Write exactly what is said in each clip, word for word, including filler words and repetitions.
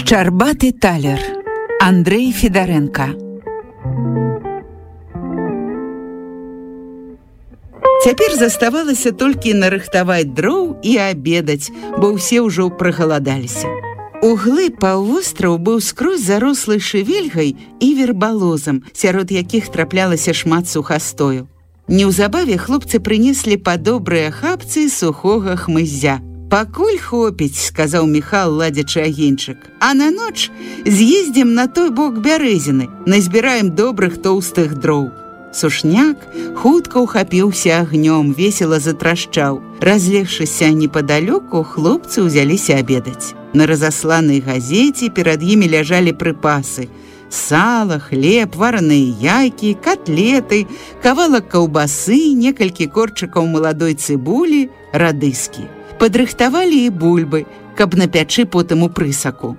Шчарбаты талер. Андрэй Федарэнка. Цяпер заставалася толькі нарыхтаваць дроў і абедаць, бо ўсе ўжо прагаладаліся. Углы паўвостраў быў скрозь зарослы шывельгай і вербалозам, сярод якіх траплялася шмат сухастою. Неўзабаве хлопцы прынеслі па добрыя хапцы сухога хмыззя. «Пакуль хопіць», — сказаў Міхал, ладзячы агеньчык. «А на ноч з'ездзім на той бок бярэзіны, назбіраем добрых тоўстых дроў». Сушняк хутка ўхапіўся агнём, весела затрашчаў. Разлегшыся непадалёку, хлопцы ўзяліся абедаць. На разасланай газеце перад імі ляжалі прыпасы: сала, хлеб, вараныя яйкі, котлеты, кавалак каўбасы, некалькі корчыкаў маладой цыбулі, радыскі. Падрыхтавалі і бульбы, каб напячы потым у прысаку.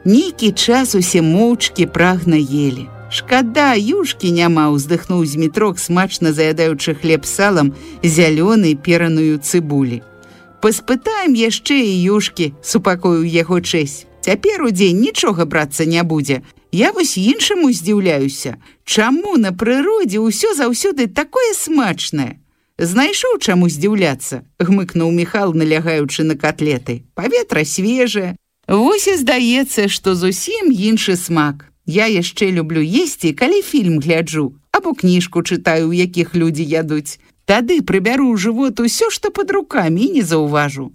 Нейкі час усе моўчкі прагна елі. «Шкада, юшкі няма», — уздыхнуў Змітрок, смачна заядаючы хлеб салам, зялёны пераную цыбулі. «Паспытаем яшчэ і юшкі», — супакоіў яго чэсь. «Цяпер у дзень нічога брацца не будзе. Я вось іншаму здзіўляюся. Чаму на прыродзе ўсё заўсёды такое смачнае?» «Знайшоў, чаму здзіўляцца», — гмыкнуў Міхал, налягаючы на котлеты. «Паветра свежае. Вось і здаецца, што зусім іншы смак. Я яшчэ люблю есці, калі фільм гляджу, або кніжку чытаю, у якіх людзі ядуць. Тады прыбяру ў жывот усё, што пад рукамі, і не заўважу».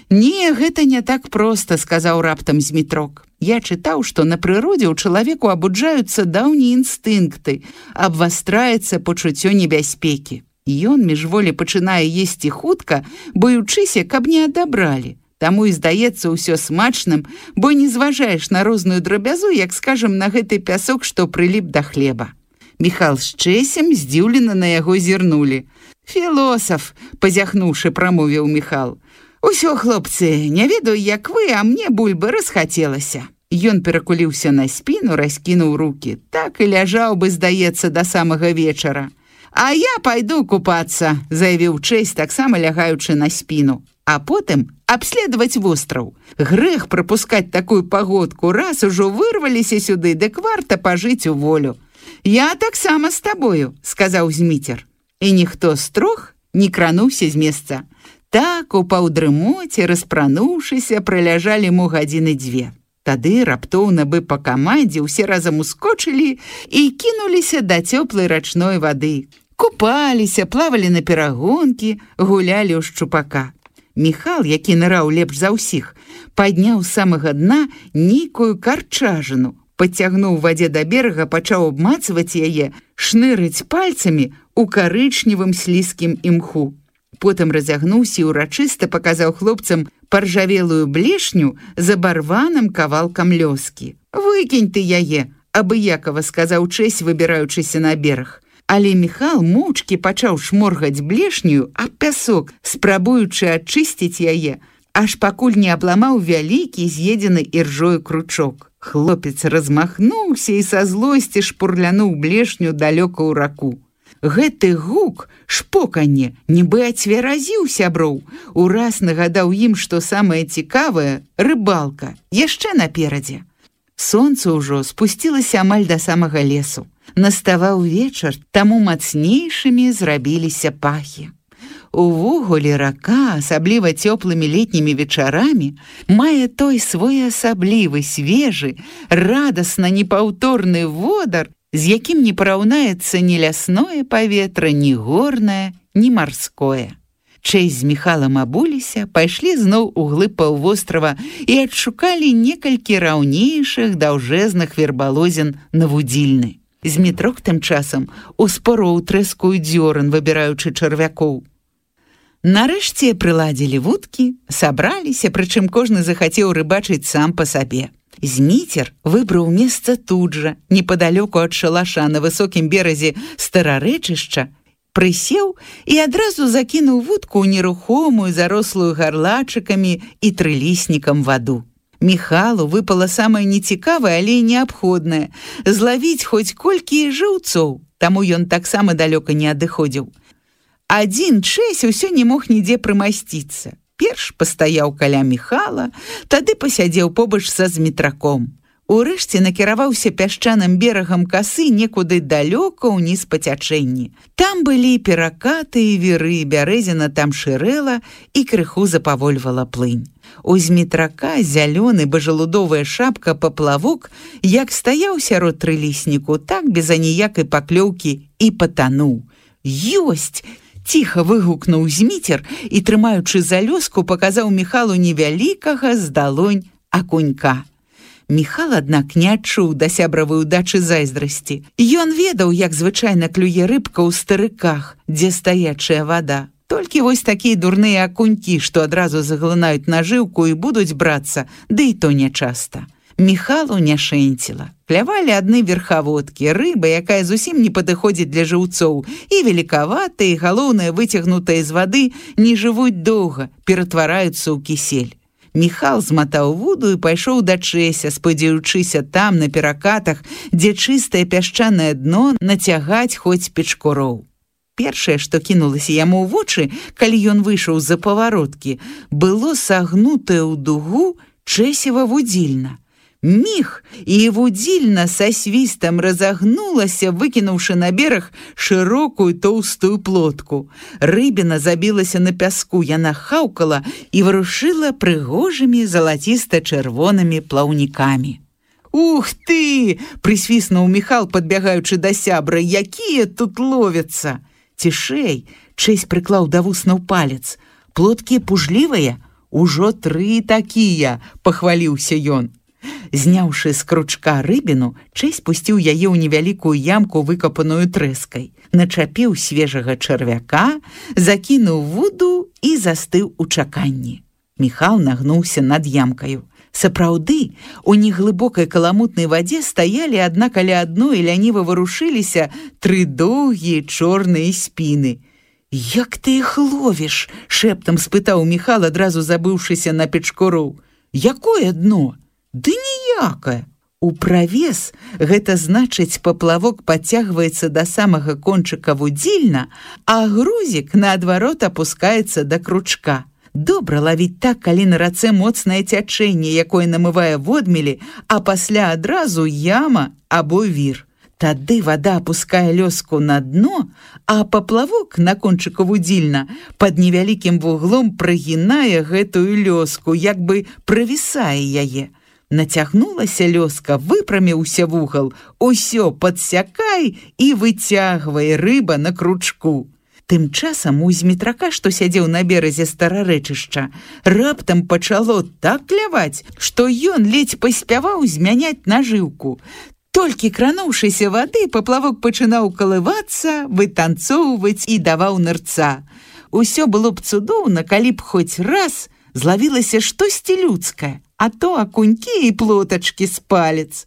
«Не, гэта не так проста», — сказаў раптам Змітрок. «Я чытаў, што на прыродзе ў чалавеку абуджаюцца даўнія інстынкты, абвастраецца пачуццё небяспекі. Ён міжволі пачынае есці хутка, боючыся, каб не адабралі. Таму і здаецца ўсё смачным, бо не зважаеш на розную драбязу, як, скажам, на гэты пясок, што прыліп да хлеба». Міхал з чэсем здзіўлена на яго зірнулі. «Філосаф», — пазяхнуўшы, прамовіў Міхал. «Усё, хлопцы, не ведаю, як вы, а мне бульбы расхацелася». Ён перакуліўся на спіну, раскінуў рукі. Так і ляжаў бы, здаецца, да самага вечара. «А я пайду купацца», — заявіў чэсь, таксама лягаючы на спіну. «А потым абследаваць востраў. Грэх прапускаць такую пагодку, раз ужо вырваліся сюды, дык варта пажыць у волю». «Я таксама з табою», — сказаў Зміцер. І ніхто з трох не крануўся з месца. Так, у паўдрымоце, распрануўшыся, праляжалі мо гадзіны дзве. Тады раптоўна бы па камандзе ўсе разам ускочылі і кінуліся да цёплай рачной вады. Купаліся, плавалі на перагонкі, гулялі ў шчупака. Міхал, які ныраў лепш за ўсіх, падняў з самага дна нейкую карчажыну, падцягнуў вадзе да берага, пачаў абмацваць яе, шнырыць пальцамі у карычневым слізкім імху. Потым разягнуўся і ўрачыста паказаў хлопцам паржавелую блешню з абарваным кавалкам лёскі. «Выкінь ты яе», — абыякава сказаў чэсь, выбіраючыся на бераг. Але Міхал моўчкі пачаў шморгаць блешню аб пясок, спрабуючы ачысціць яе, аж пакуль не абламаў вялікі з'едзены іржою кручок. Хлопец размахнуўся і са злосці шпурлянуў блешню далёка ў раку. Гэты гук, шпоканне, нібы ацверазіў сяброў, ураз нагадаў ім, што самае цікавае — рыбалка, яшчэ наперадзе. Сонца ўжо спусцілася амаль да самага лесу. Наставаў вечар, таму мацнейшымі зрабіліся пахі. Увогуле рака, асабліва цёплымі летнімі вечарамі, мае той своеасаблівы, свежы, радасна непаўторны водар, з якім не параўнаецца ні лясное паветра, ні горнае, ні марское. Чэсь з Міхалам абуліся, пайшлі зноў у глыб паўвострава і адшукалі некалькі раўнейшых даўжэзных вербалозін на вудзільны. Змітрок тым часам успороў трэскую дзёран, выбіраючы чарвякоў. Нарэшце прыладзілі вудкі, сабраліся, прычым кожны захацеў рыбачыць сам па сабе. Зміцер выбраў месца тут жа, непадалёку ад шалаша на высокім беразе старарэчышча, прысеў і адразу закінуў вудку ў нерухомую, зарослую гарлачыкамі і трыліснікам ваду. Міхалу выпала самае нецікавае, але і неабходнае — злавіць хоць колькі жыўцоў, таму ён таксама далёка не адыходзіў. Адзін чэсь усё не мог нідзе прымасціцца. Перш пастаяў каля Міхала, тады пасядзеў побач са змітраком. Урэшце накіраваўся пясчаным берагам касы некуды далёка ўніз па цячэнні. Там былі перакаты і віры, бярэзіна там шырэла і крыху запавольвала плынь. У змітрака зялёны бажалудовая шапка паплавок, як стаяў сярод трылісніку, так без аніякай паклёўкі і патануў. «Ёсць!» – ціха выгукнуў Зміцер і, трымаючы за лёску, паказаў Міхалу невялікага з далонь акунька. Міхал, аднак, не адчуў да сябравай удачы зайздрасці. Ён ведаў, як звычайна клюе рыбка ў старыках, дзе стаячая вада. Толькі вось такія дурныя акунькі, што адразу заглынаюць нажыўку і будуць брацца, ды і то нячаста. Міхалу не шэнціла. Клявалі адны верхаводкі, рыба, якая зусім не падыходзіць для жыўцоў, і великаватая, і, галоўнае, выцягнутая з вады, не жывуць доўга, ператвараюцца ў кісель. Міхал зматаў вуду і пайшоў да Чэся, спадзяючыся там, на перакатах, дзе чыстае пясчанае дно, нацягаць хоць печкуроў. Першае, што кінулася яму ў вочы, калі ён выйшаў з-за павароткі, было сагнутае ў дугу Чэсева вудзільна. Міг, і вудзільна са свістам разагнулася, выкінуўшы на бераг шырокую тоўстую плотку. Рыбіна забілася на пяску, яна хаўкала і варушыла прыгожымі залаціста-чырвонымі плаўнікамі. «Ух ты!» – прысвіснуў Міхал, падбягаючы да сябра. «Якія тут ловяцца!» «Цішэй!» – Чэсь прыклаў да вуснаў палец. «Плоткі пужлівыя? Ужо тры такія!» – пахваліўся ён. Зняўшы з кручка рыбіну, Чэсь пусціў яе ў невялікую ямку, выкапаную трэскай. Начапіў свежага чарвяка, закінуў вуду і застыў у чаканні. Міхал нагнуўся над ямкаю. Сапраўды, у неглыбокай каламутнай вадзе стаялі адна каля адной і ляніва варушыліся тры доўгія чорныя спіны. «Як ты іх ловіш?» – шэптам спытаў Міхал, адразу забыўшыся на печкуроў. «Якое дно?» «Ды ніякае. У правес, гэта значыць, паплавок падцягваецца да самага кончыка вудзільна, а грузік, наадварот, апускаецца да кручка. Добра лавіць так, калі на рацэ моцнае цячэнне, якое намывае водмелі, а пасля адразу яма або вір. Тады вада апускае лёску на дно, а паплавок на кончыку вудзільна пад невялікім вуглом прагінае гэтую лёску, як бы правісае яе. Нацягнулася лёска, выпраміўся вугал, усё падсякай і выцягвай, рыба на кручку. Тым часам у змітрака, што сядзеў на беразе старарэчышча, раптам пачало так кляваць, што ён ледзь паспяваў змяняць нажыўку. Толькі крануўшыся вады, паплавок пачынаў калывацца, вытанцоўваць і даваў нырца. Усё было б цудоўна, калі б хоць раз злавілася штосьці людскае, а то акунькі і плотачкі з палец.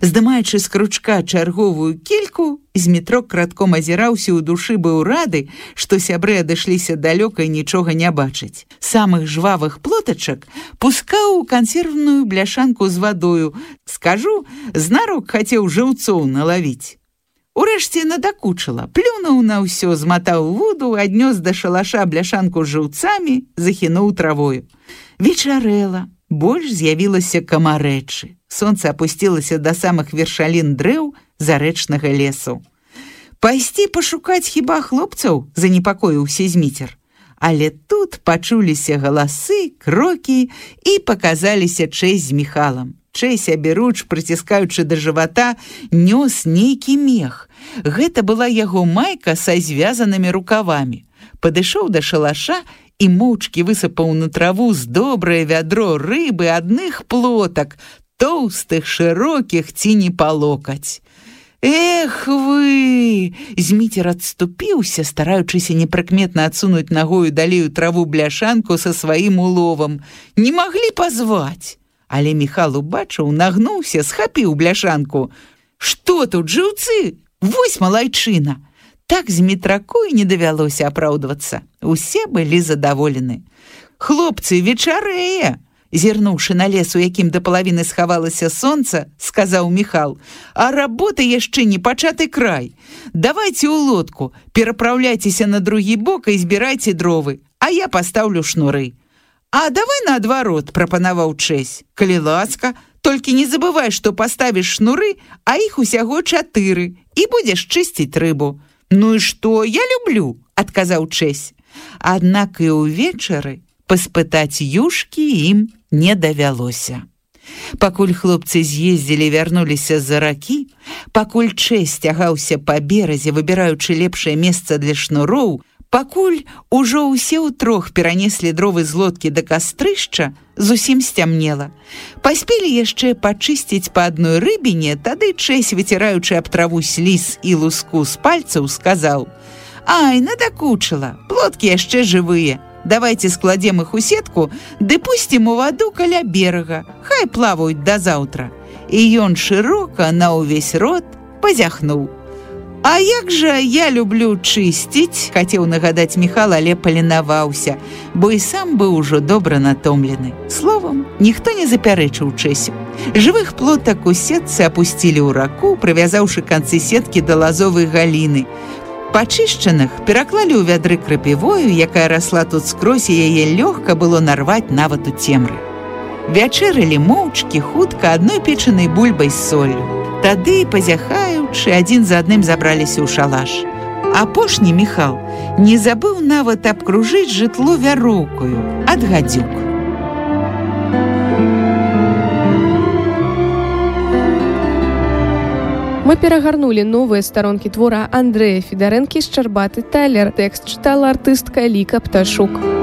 Здымаючы з кручка чарговую кільку, Змітрок кратком азіраўся ў душы, быў рады, што сябры адышліся далёка і нічога не бачыць. Самых жвавых плотачак пускаў у кансервную бляшанку з вадою. Скажу, знарок хацеў жыўцоў налавіць. Урэшце надакучыла, плюнуў на ўсё, зматаў воду, аднёс да шалаша бляшанку з жыўцамі, захінуў травою. Вечарэла. Больш з'явілася камарэчы. Сонца апусцілася да самых вершалін дрэў зарэчнага лесу. «Пайсці пашукаць хіба хлопцаў?» – занепакоіўся Зміцер. Але тут пачуліся галасы, крокі і паказаліся Чэсь з Міхалам. Чэсь, аберуч, прыціскаючы да жывата, нёс нейкі мех. Гэта была яго майка са звязанымі рукавамі. Падышоў да шалаша і моўчкі высыпаў на траву з добрае вядро рыбы адных плотак, тоўстых, шырокіх ці не па локаць. «Эх вы!» Зміцер адступіўся, стараючыся непрыкметна адсунуць нагою далею траву бляшанку са сваім уловам. «Не маглі пазваць!» Але Міхал убачыў, нагнуўся, схапіў бляшанку. «Што тут, жыўцы? Вось малайчына!» Так Змітраку і не давялося апраўдвацца. Усе былі задаволены. «Хлопцы, вечарэе!» Зірнуўшы на лес, у якім да палавіны схавалася сонца, сказаў Міхал: «А работа яшчэ не пачаты край. Давайце ў лодку, перапраўляйцеся на другі бок і збірайце дровы, а я пастаўлю шнуры». А давай наадварот, прапанаваў Чэсь. Калі ласка, толькі не забывай, што паставіш шнуры, а іх усяго чатыры, і будзеш чысціць рыбу. Ну і што, я люблю, адказаў Чэсь. Аднак і ўвечары паспытаць юшкі ім не давялося. Пакуль хлопцы з'ездзілі, вярнуліся з-за ракі, пакуль Чэсь цягаўся па беразе, выбіраючы лепшае месца для шнуроў, пакуль ужо ўсе ўтрох перанеслі дровы з лодкі да кастрышча, зусім сцямнела. Паспелі яшчэ пачысціць па адной рыбіне, тады Чэсь, выціраючы аб траву сліз і луску з пальцаў, сказаў: «Ай, надакучыла, плоткі яшчэ жывыя. Давайте складзем іх у сетку, ды пусцім у ваду каля берага, хай плаваюць да заўтра». І ён шырока на ўвесь рот пазяхнуў. «А як жа я люблю чысціць», — хацеў нагадаць Міхал, але паленаваўся, бо і сам быў ужо добра натомлены. Словам, ніхто не запярэчыў Чэсю. Жывых плотак у сетцы апусцілі ў раку, прывязаўшы канцы сеткі да лазовай галіны. Пачышчаных пераклалі ў вядры крапівою, якая расла тут скрозь, і яе лёгка было нарваць нават у цемры. Вячэралі моўчкі, хутка, адной печанай бульбай з соллю. Тады, пазяхаючы, адзін за адным забраліся ў шалаш. Апошні Міхал не забыў нават абкружыць жытло вяроўкаю ад гадзюк. Мы перагарнулі новыя старонкі твора Андрэя Федарэнкі «Шчарбаты талер». Тэкст чытала артыстка Ліка Пташук.